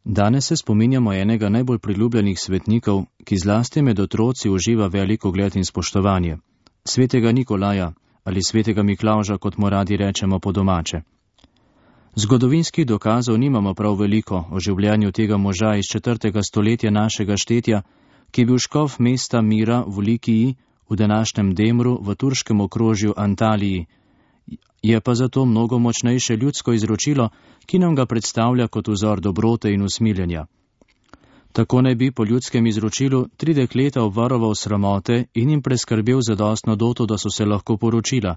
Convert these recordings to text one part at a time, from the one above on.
Danes se spominjamo enega najbolj priljubljenih svetnikov, ki zlasti med otroci uživa velik ugled in spoštovanje, svetega Nikolaja ali svetega Miklavža, kot mu radi rečemo po domače. Zgodovinskih dokazov nimamo prav veliko o življenju tega moža iz 4. stoletja našega štetja, ki je bil škof mesta Mira v Likiji, v današnjem Demru v turškem okrožju Antaliji. Je pa zato mnogo močnejše ljudsko izročilo, ki nam ga predstavlja kot vzor dobrote in usmiljenja. Tako naj bi po ljudskem izročilu 3 dekleta obvaroval sramote in jim preskrbel zadostno doto, da so se lahko poročila.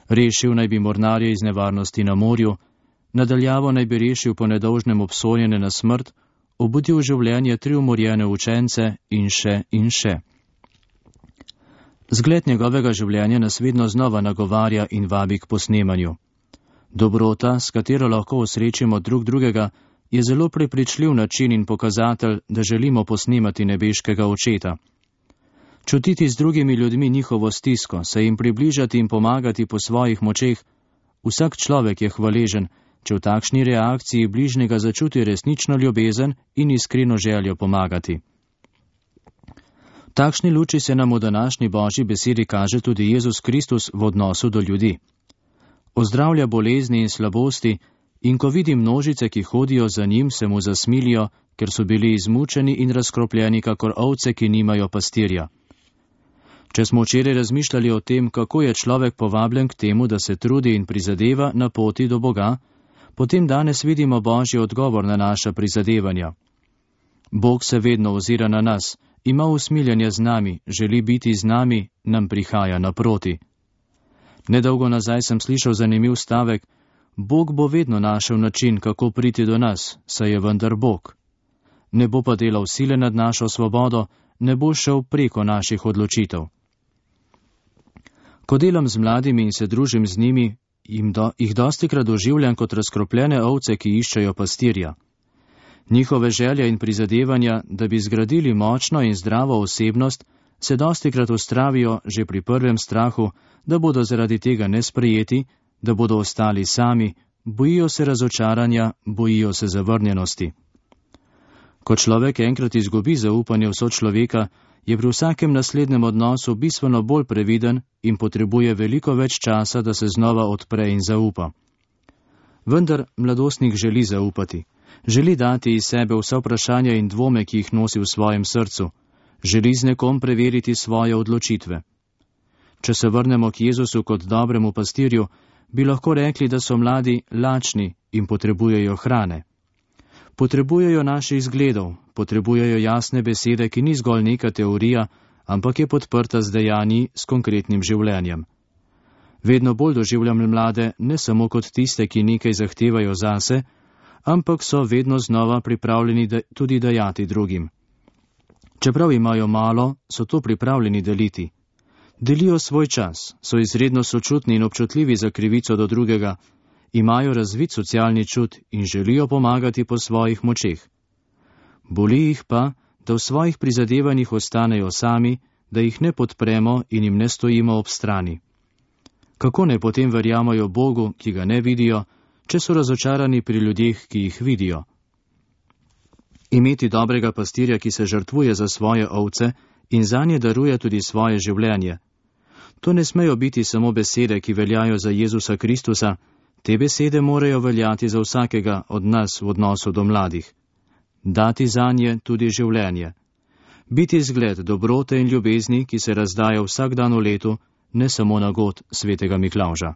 Rešil naj bi mornarje iz nevarnosti na morju, nadaljavo naj bi rešil po nedolžnem obsojene na smrt, obudil življenje 3 umorjene učence in še in še. Zgled njegovega življenja nas vedno znova nagovarja in vabi k posnemanju. Dobrota, s katero lahko osrečimo drug drugega, je zelo prepričljiv način in pokazatelj, da želimo posnemati nebeškega očeta. Čutiti z drugimi ljudmi njihovo stisko, se jim približati in pomagati po svojih močeh, vsak človek je hvaležen, če v takšni reakciji bližnjega začuti resnično ljubezen in iskreno željo pomagati. V takšni luči se nam v današnji Božji besedi kaže tudi Jezus Kristus v odnosu do ljudi. Ozdravlja bolezni in slabosti in ko vidi množice, ki hodijo za njim, se mu zasmilijo, ker so bili izmučeni in razkropljeni kakor ovce, ki nimajo pastirja. Če smo včeraj razmišljali o tem, kako je človek povabljen k temu, da se trudi in prizadeva na poti do Boga, potem danes vidimo Božji odgovor na naša prizadevanja. Bog se vedno ozira na nas, ima usmiljenje z nami, želi biti z nami, nam prihaja naproti. Nedolgo nazaj sem slišal zanimiv stavek: Bog bo vedno našel način, kako priti do nas, saj je vendar Bog. Ne bo pa delal sile nad našo svobodo, ne bo šel preko naših odločitev. Ko delam z mladimi in se družim z njimi, jih dostikrat doživljam kot razkropljene ovce, ki iščejo pastirja. Njihove želje in prizadevanja, da bi zgradili močno in zdravo osebnost, se dostikrat ustravijo že pri prvem strahu, da bodo zaradi tega nesprejeti, da bodo ostali sami, bojijo se razočaranja, bojijo se zavrnjenosti. Ko človek enkrat izgubi zaupanje v sočloveka, je pri vsakem naslednjem odnosu bistveno bolj previden in potrebuje veliko več časa, da se znova odpre in zaupa. Vendar mladostnik želi zaupati. Želi dati iz sebe vsa vprašanja in dvome, ki jih nosi v svojem srcu. Želi z nekom preveriti svoje odločitve. Če se vrnemo k Jezusu kot dobremu pastirju, bi lahko rekli, da so mladi lačni in potrebujejo hrane. Potrebujejo naših zgledov, potrebujejo jasne besede, ki ni zgolj neka teorija, ampak je podprta z dejanji, s konkretnim življenjem. Vedno bolj doživljam mlade ne samo kot tiste, ki nekaj zahtevajo zase, ampak so vedno znova pripravljeni tudi dajati drugim. Čeprav imajo malo, so to pripravljeni deliti. Delijo svoj čas, so izredno sočutni in občutljivi za krivico do drugega, imajo razvit socialni čut in želijo pomagati po svojih močeh. Boli jih pa, da v svojih prizadevanjih ostanejo sami, da jih ne podpremo in jim ne stojimo ob strani. Kako naj potem verjamajo Bogu, ki ga ne vidijo, če so razočarani pri ljudeh, ki jih vidijo? Imeti dobrega pastirja, ki se žrtvuje za svoje ovce in zanje daruje tudi svoje življenje. To ne smejo biti samo besede, ki veljajo za Jezusa Kristusa, te besede morajo veljati za vsakega od nas v odnosu do mladih. Dati zanje tudi življenje. Biti zgled dobrote in ljubezni, ki se razdaja vsak dan v letu, ne samo na god svetega Miklavža.